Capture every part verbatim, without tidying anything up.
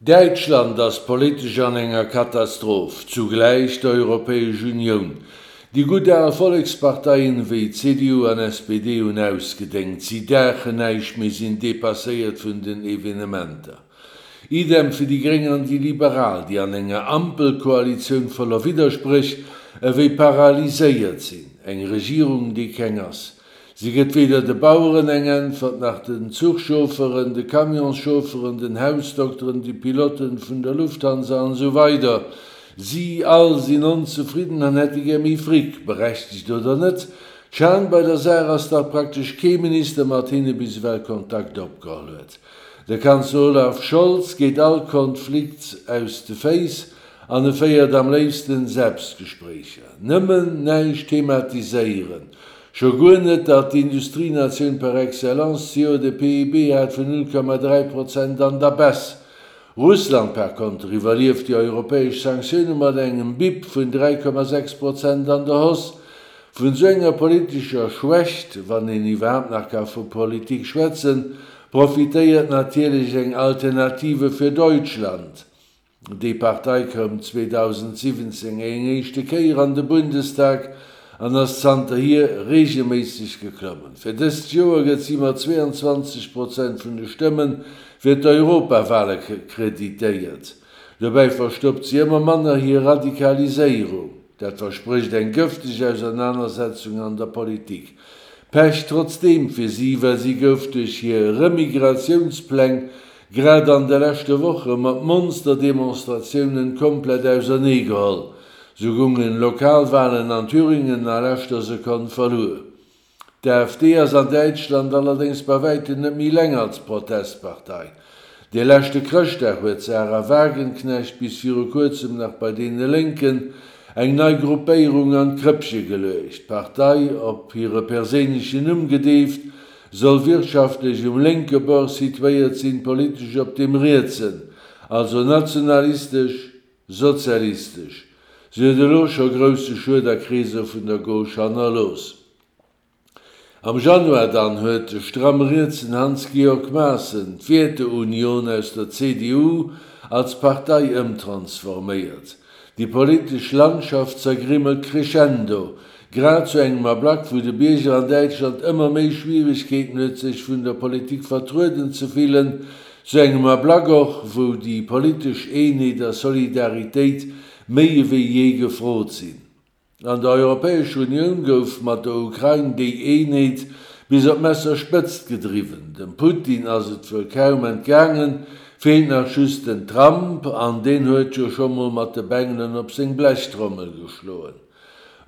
Däitschland ass politesch an enger Katastroph, zugläich d'Europäesch Unioun. Déi gutt al Volleksparteien wéi C D U an S P D hunn ausgedéngt, si daachen näischt méi, sinn depasséiert vun den Evenementer. Idem fir déi Gréng an déi Liberal, déi an enger Ampelkoalitioun voller Widderspréch ewéi paralyséiert sinn. Eng Regierung, déi keng ass. Si gëtt weder de Baueren eng Äntwert, nach den Zuchchaufferen, de Camionschaufferen, den Hausdokteren, de Piloten vun der Lufthansa an esou weider. Si all sinn onzefridden an hätte gär méi Fric, berechtegt oder net. D'Schan bei der Saach ass, datt praktesch kee Minister mat hinne bis ewell Kontakt opgeholl huet. De Kanzler Olaf Scholz geet all Konflikt aus de Féiss an e féiert am léifsten Selbstgespréicher. Nëmmen näischt thematiséieren. Scho guer net, datt d'Industrienatioun par excellence zejoert e P I B hat vun null Komma dräi Prozent an der Baisse. Russland par konter iwwerlieft déi europäesch Sanktioune mat engem B I P vun dräi Komma sechs Prozent an der Hausse. Vun esou enger politescher Schwächt, wann een iwwerhaapt nach ka vu Politik schwätzen, profitéiert natierlech eng Alternative für Deutschland. Déi Partei koum zweedausendsiwwenzéng eng éischte Kéier an de Bundestag an ass zanterhier reegelméisseg geklommen. Fir dëst Joer gëtt si mat zweeanzwanzeg Prozent vun de Stëmme fir d'Europawale kreditéiert. Dobäi verstoppt si ëmmer manner hir Radikaliséierung. Dat versprécht eng gëfteg Ausernanersetzung an der Politik. Pech trotzdeem fir si, well si gouf duerch hir Remigrationspläng grad an de leschte Woche mat Monsterdemonstratiounen komplett auserneegeholl. Sou goungen Lokalwalen an Thüringen a leschter Sekonn verluer. D'A F D ass an Däitschland allerdéngs bei wäitem net méi eleng als Protestpartei. De leschte Chrëschtdag huet Sahra Wagenknecht, bis viru kuerzem nach bei deene Lénken, eng nei Gruppéierung an d'Krëppche geluecht. D'Partei, op hire perséinlechen Numm gedeeft, soll wirtschaftlech um lénke Bord situéiert sinn, politesch op deem rietsen, also nationalistesch, sozialistesch. Si huet elo scho grousse Schued a Kreesser vun der Gauche hannerlooss. Am Januar dann huet de stramm rietsen Hans-Georg Maaßen d'Werteunion aus der C D U als Partei ëmtransforméiert. Déi politesch Landschaft zergrimmelt crescendo, grad zu engem Ablack, wou de Bierger an Däitschland ëmmer méi Schwieregkeeten huet, sech vun der Politik vertrueden ze fillen, zu engem Ablack och, wou déi politesch Eenheet a Solidaritéit méi ewéi jee gefrot sinn. An der Europäescher Unioun gouf mat der Ukrain déi Eenheet bis op d'Messerspëtzt gedriwwen. Dem Putin ass et wuel kaum entgaangen, feelt nach just den Trump, an deen huet jo scho mol mat de Bengelen op seng Blechtrommel geschloen.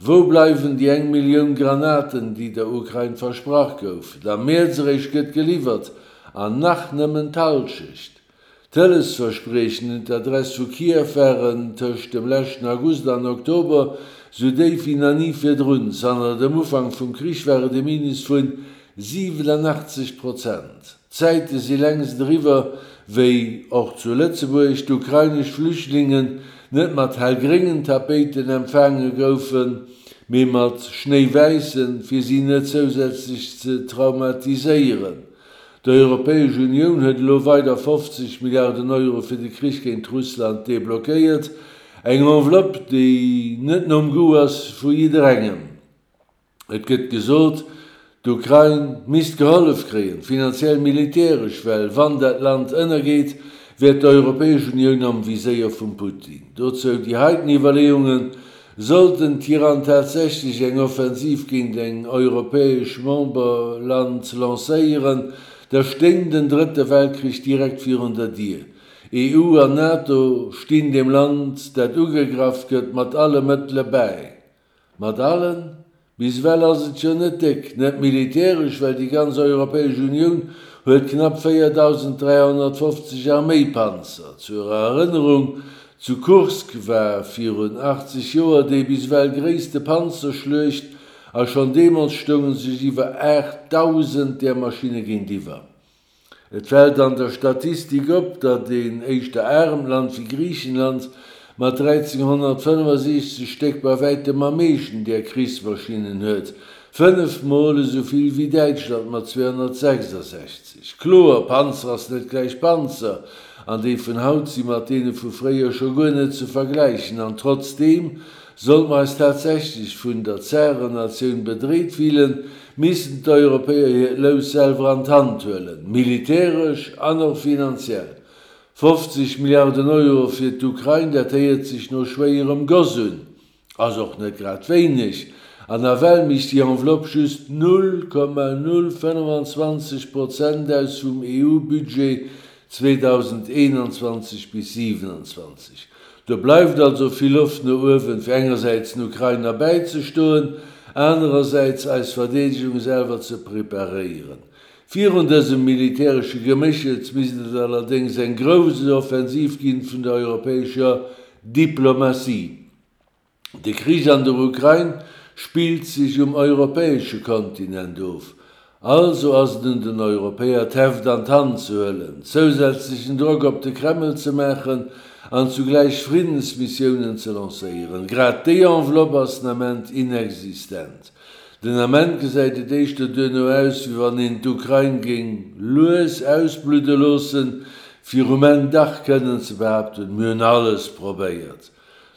Wou bleiwen déi eng Millioun Granaten, déi der Ukrain versprach goufen? Am Mäerz eréischt gëtt geliwwert, an nach nëmmen d'Hallschecht. D'Hëllefsverspriechen un d'Adress vu Kiew waren tëscht dem leschten August an Oktober sou déif wéi nach ni virdrun. Zanter dem Ufank vum Krich war et e Minus vu siwenunachtzeg Prozent. D'Zäite si längst eriwwer, wéi och zu Lëtzebuerg d'ukrainesch Flüchtlingen net mat hellgréngen Tapéiten empfaange goufen, mee mat schnéiwäissen, fir si net zousätzlech ze traumatiséieren. D'Europäesch Unioun huet elo weider fofzeg Milliarden Euro fir de Krich géint Russland deblockéiert, eng Enveloppe, déi net nom Goût ass vu jidderengem. Et gëtt gesot, d'Ukrain misst gehollef kréien, finanziell, militäresch, well wann dat Land ënnergeet, wär d'Europäesch Unioun am Viséier vum Putin. Dozou déi heiten Iwwerleeungen: Sollt den Tyrann tatsächlech eng Offensiv géint en europäescht Memberland lancéieren, da stéing den Drëtte Weltkrich direkt virun der Dier. E U an NATO stinn dem Land, dat ugegraff gëtt, mat alle Mëttele bäi. Mat allen? Bis ewell ass et jo net déck. Net militäresch, well déi ganz Europäesch Unioun huet knapp véierdausend dräihonnertfofzeg Arméipanzer. Zur Erënnerung, Zu Kursk war virun achtzeg Joer déi bis ewell gréisste Panzerschluecht a schonn deemools stounge sech iwwer aachtdausend där Maschinne géintiwwer. Et fält an der Statistik op, datt een éischter aremt Land wéi Griichenland mat dräizénghonnertfënnefasiechzeg Stéck bei wäitem am meeschten där Krichsmaschinnen huet, fënnef Mol esou vill wéi Däitschland mat zweehonnertsechsasechzeg. Kloer, Panzer ass net gläich Panzer, an déi vun haut si mat deene vu fréier scho guer net ze vergläichen. An trotzdeem, sollt mer eis tatsächlech vun der Zärennatioun bedreet fillen, missten d'Europäer hiert Lous selwer an d'Hand huelen, militäresch an och finanziell. fofzeg Milliarden Euro fir d'Ukrain, dat héiert sech no schwéierem Goss un, ass och net grad wéineg, an nawell mécht déi Enveloppe just null Komma null fënnefanzwanzeg Prozent aus vum E U-Budget zweedausendeenanzwanzeg bis siwenanzwanzeg Do bleift also vill Loft no uewen, fir engersäits den Ukrainer bäizestoen, anerersäits eis Verdeedegung selwer ze preparéieren. Virun dësem militäresche Geméchels misst et allerdéngs eng grouss Offensiv ginn vun der europäescher Diplomatie. De Krich an der Ukrain spillt sech um europäesche Kontinent of. Also ass et un den Europäer d'Heft an d'Hand ze huelen, zousätzlechen Drock op de Kreml ze maachen an zugläich Friddensmissiounen ze lancéieren. Grad déi Enveloppe ass den Ament inexistent. Den Ament gesäit et éischter duerno aus, wéi wann een d'Ukrain géing lues ausbludde loossen, fir um Enn dach kënnen ze behaapten, Mir hunn alles probéiert.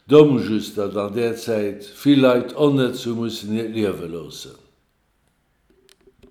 Domm just, datt an där Zäit vill Leit onnëtz hu mussen hiert Liewe loossen.